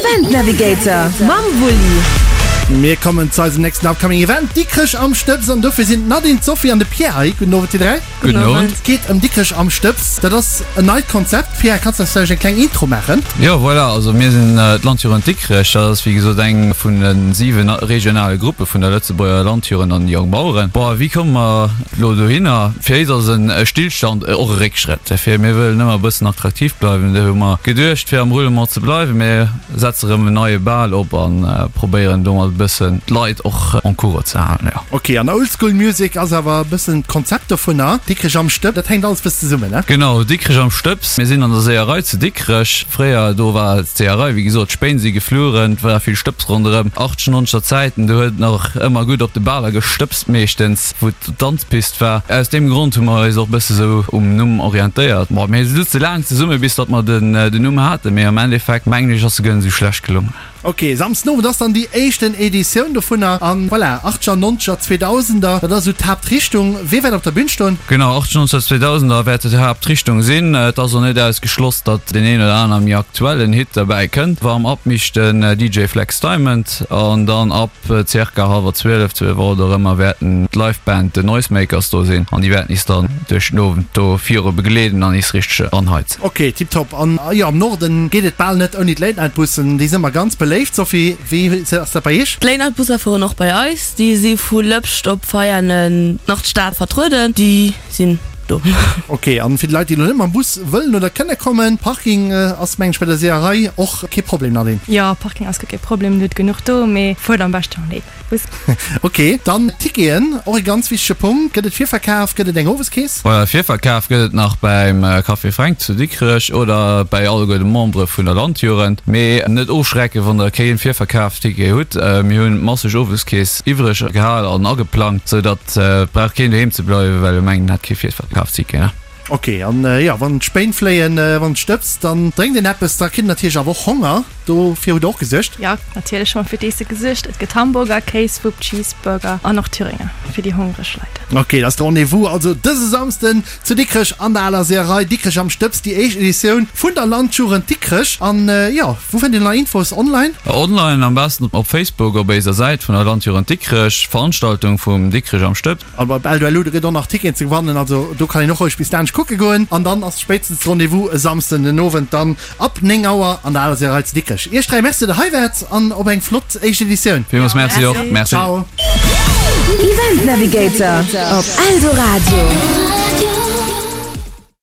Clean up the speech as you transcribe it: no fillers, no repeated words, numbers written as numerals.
Event Navigator mam Wulli. Mir kommen zu eisem nächsten upcoming Event, Dikrech am Stëbs an dofir sinn d'Nadine, d'Sophie an de Pierre hei. Gudden Owend dir 3. Gudden Owend. Et geet ëm Dikrech am Stëbs. Dat ass en neit Konzept. Pierre, kanns de eis vläicht eng kleng Intro maachen? Jo, voilà, also mir sinn d'Landjugend Dikrech. Dat ass wéi gesot eng vun de 7 regionale Gruppe vun der Lëtzebuerger Landjugend an de Jongbaueren. Bon, wéi komme mer elo dohinner? Fir éis ass e Stillstand och e Réckschrëtt. Fir mir wëllen ëmmer e bëssen attraktiv bleiwen. Do hu mer geduecht, fir am Roulement ze bleiwen, mir setze rëm en neie Bal op a probéieren domat e bëssen d'Leit och en cours ze halen, jo. Ok, an Oldschool Music ass awer e bëssen d'Konzept dovunner. Dikrech am Stëbs, dat hänkt alles bëssen zesummen, ne? Genau, Dikrech am Stëbs. Mir sinn an der Seeërei zu Dikrech. Fréier, do war d'Seeërei, wéi gesot, d'Spéin si gefluren, et war vill Stëbs ronderëm. Achtzehnhonnerter Zäiten, do huet et nach ëmmer gutt op de Baler gestëbst meeschtens. wou d'Danzpist war. Aus deem Grond hu mer eis och bësse sou um Numm orientéiert. Bon, mir souze laang zesumme bis datt mer den Numm haten, mee am Endeffekt mengen ech ass se guer net sou schlecht gelongen. Ok, Samsden Owend ass dann déi éischten Editioun dovunner an voilà, Achtzeger, Nonzeger, Zweedausender, dat ass esou d'Haaptrichtung. Wee wäert op der Bün stoen? Genau, Achtzeger, Nonzeger, Zweedausender wäert d'Haaptrichtung sinn. Et ass och net ausgeschloss, datt deen een oder aner méi aktuellen Hit derbäi kënnt. Warm Up mécht den DJ Flex Diamond an dann ab Circa hallwer 12, 12 Auer dorëmmer wäerten d'Live Band The Noisemakers do sinn an déi wäerten is dann duerch den Owend do viru begleeden an is richteg anheizen. Ok, tiptop. An jo, am Norden geet et bal net ouni d'Late Night Bussen. Déi sinn ëmmer ganz beléift. Sophie, wéi ass dat bei iech? D'Late Night Busser fueren och bei eis. Déi si vu Lëpscht op Veianen nach d'Stad vertrueden. Déi sinn do. Ok, an fir déi Leit déi elo net mam Bus wëllen oder kënne kommen, Parking ass mengen ech bei der Seeërei och kee Problem, Nadine? Jo, Parking ass guer kee Problem, do huet genuch do, mee fuert am beschten mam Late Night Bus. Ok, dann Ticketen, och e ganz wichtege Punkt. Gëtt et Virverkaf, gëtt et eng Oweskeess? Voilà, Virverkaf gëtt et nach beim Café Fränk zu Dikrech oder bäi alleguer de Membere vun der Landjugend. Mee net ofschrecken, wann der kee Virverkafticket hutt, mir hunn masseg Oweskeess iwwreg gehal an ageplangt, sou datt Et brauch keen doheem ze bleiwen, well e mengt en hätt kee Virverkafsticket, ne? Ok, an jo, wann d'Spéin fléien, wann et stëbst, dann drénkt een eppes, da kritt een natierlech awer och Honger. Dofir hutt der och gesuergt? Jo, natierlech hu mer fir d'Iesse gesuergt. Et gëtt Hamburger, Kéiswupp, Cheeseburger an och Thüringer fir déi hongreg Leit. Ok, dat ass de Rendez-vous also dëse Samsden zu Dikrech an der aler Seeërei Dikrech am Stëbs, déi éischt Editioun vun der Landjugend Dikrech. An jo, Wou fënnt een nei Infos online? Online am besten op Facebook op éiser Säit vun der Landjugend Dikrech, Veranstaltung vum Dikrech am Stëbs. An op Eldoello, do gëtt och nach Ticketen ze gewannen, also do kann een och roueg bis laanscht kucke goen. An dann ass spéitstens de Rendez-vous e Samsden den Owend dann ab 9 Auer an der Aler Seeërei zu Dikrech. Iech 3 Merci, datt der hei waart an op eng flott éischt Editioun. Villmools Merci och. Merci. Ciao. Event Navigator op Eldoradio.